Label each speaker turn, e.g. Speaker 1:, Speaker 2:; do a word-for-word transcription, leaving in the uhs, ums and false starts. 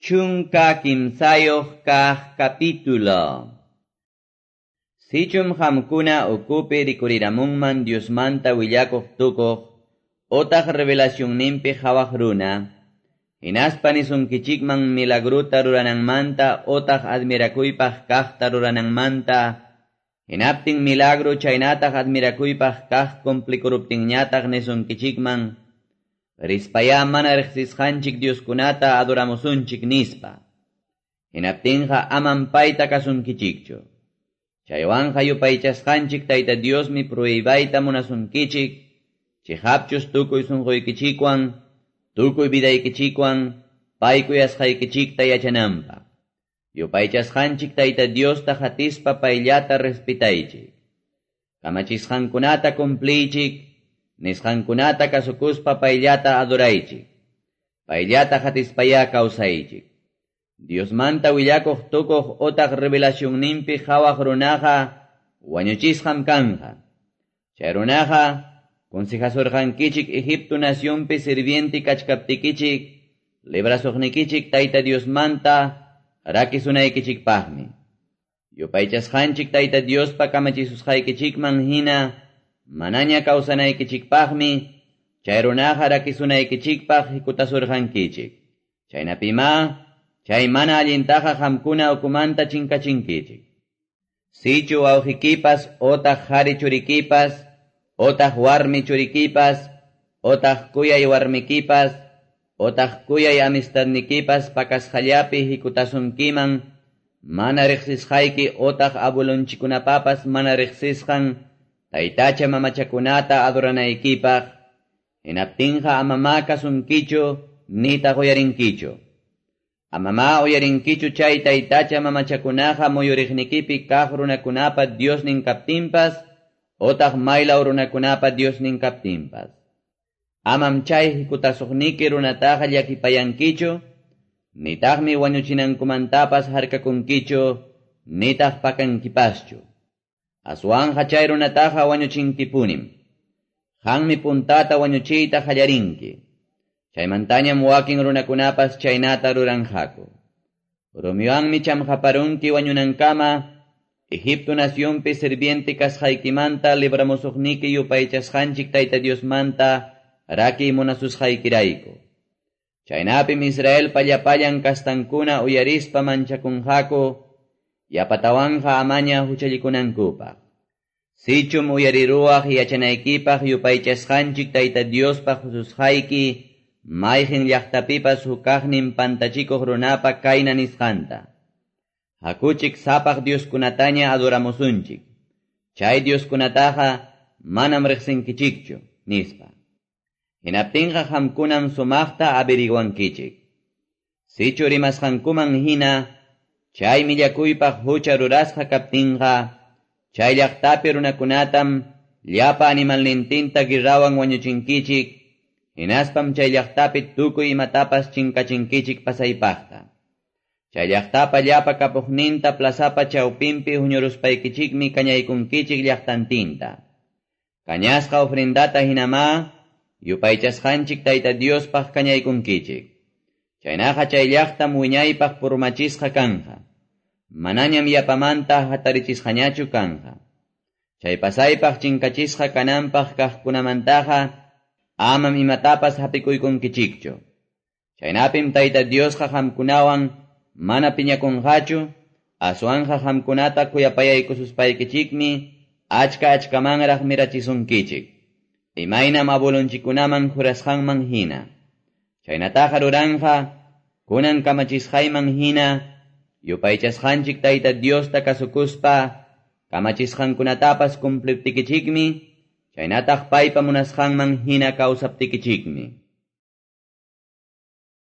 Speaker 1: Chunka kimsayuq kaq capítulo. Sichum hamkuna ukupi rikuriramunman Diosmanta willakuq tukuq, otaq revelacionninpi hawaq runa, hinaspa nisunkichikman milagruta rurananmanta otaq admirakuypaq kaqta rurananmanta, hinaptin milagro chaynataq admirakuypaq kaq cumplikuruptinñataq nisunkichikman, rispaya mana riqsisqanchik Dioskunata adoramusunchik nispa. Hinaptinqa amam payta kasunkichikchu. Chaywanqa yupaychasqanchik Tayta Diosmi pruibayta munasunkichik, chiqapchus tukuy sunquykichikwan, tukuy vidaykichikwan, pay kuyasqaykichikta yachananpaq. Yupaychasqanchik Tayta Diosta hatispa payllata respetaychik. Kamachisqankunata cumpliychik, nisqankunata kasukuspa payllata adoraychik. Payllata hatispaya kawsaychik. Diosmanta willakuq tukuq otaq revelacionninpi hawaq runaqa wañuchisqam kanja. Chay runaqa consejasurqankichik Egipto nacionpi sirviente kachkaptikichik, librasuqnikichik Tayta Diosmanta rakisunaykichikpaqmi. Yupaychasqanchik Tayta Diospa kamachisusqaykichikman hina manaña kawsanaykichikpaqmi, chay runaqa rakisunaykichikpaq hikutasurqankichik. Chaynapima, chay mana allintaqa qamkuna ukumanta chinkachinkichik. Sichu wawqikipas otaq qhari churikipas, otaq warmi churikipas, otaq kuyay warmikipas, otaq kuyay amistadnikipas pakasqallapi hikutasunkiman, mana riqsisqayki otaq abuelonchikkunapapas mana riqsisqan, taytacha mamachakunata adoranaykipaq, hinaptinqa amama kasunkichu nitaq uyarinkichu. Amama uyarinkichu chay taytacha mamachakunaqa muyuriqnikipi kaq runakunapa Diosnin kaptinpas, otaq maylaw runakunapa Diosnin kaptinpas. Amam chay hikutasuqniki runataqa llakipayankichu, nitaqmi wañuchinankumantapas harkakunkichu, nitaq pakankipaschu. Aswanja chay runataqa wañuchinkipunim. Qanmi puntata wañuchiyta qallarinki. Chaymantañam wakin runakunapas chaynata ruranqaku. Rumiwanmi chamqaparunki wañunankama, Egipto nacionpi sirviente kasqaykimanta libramusuqniki yupaychasqanchik Tayta Diosmanta raki munasusqaykirayku. Chaynapim Israelpa llapallan kastankuna uyarispa manchakunqaku, yapatawanja amaña huchallikunankupaq. Sichum uyariruwaq yachanaykipaq yupaychasqanchik Tayta Diospaq hususqayki, mayqin llaqtapipas hukaqnin pantachikuq runapa kayna nisqanta. Hakuchik sapaq Dioskunataña adoramusunchik. Chay Dioskunataqa manam riqsinkichikchu, nispa. Hinaptinqa qamkunam sumaqta averiguankichik. Sichu rimasqankuman hina, chay millakuypaq hucha rurasqa kaptinqa, chay llaqtapi runakunatam llapa animalnintinta guerrawan wañuchinkichik, hinaspam chay llaqtapi tukuy imatapas chinkachinkichik pasaypaqta. Chay llaqtapa llapa kapuqninta plazapa chawpinpi huñuruspaykichikmi kañaykunkichik llaqtantinta. Kañasqa ofrendata hinama, yupaychasqanchik Tayta Diospaq kañaykunkichik. Chaynaqa chay llaqtam wiñaypaq purmachisqa kanja. Manañam yapamanta hatarichisqañachu kanja. Chay pasaypaq chinkachisqa kananpaq kaqkunamantaqa amam imatapas hapikuykunkichikchu. Chaynapim Tayta Diosqa qamkunawan mana piñakunqachu, aswanqa qamkunata kuyapayaykususpaykichikmi achka achkamanraq mirachisunkichik. Imaynam abuelonchikkunaman jurasqanman hina. Chaynataqa ruranqa, kunan kamachisqayman hina, yupaychasqanchik Tayta Diosta kasukuspa, kamachisqankunatapas cumpliptikichikmi, chaynataq paypa munasqanman hina kawsaptikichikmi.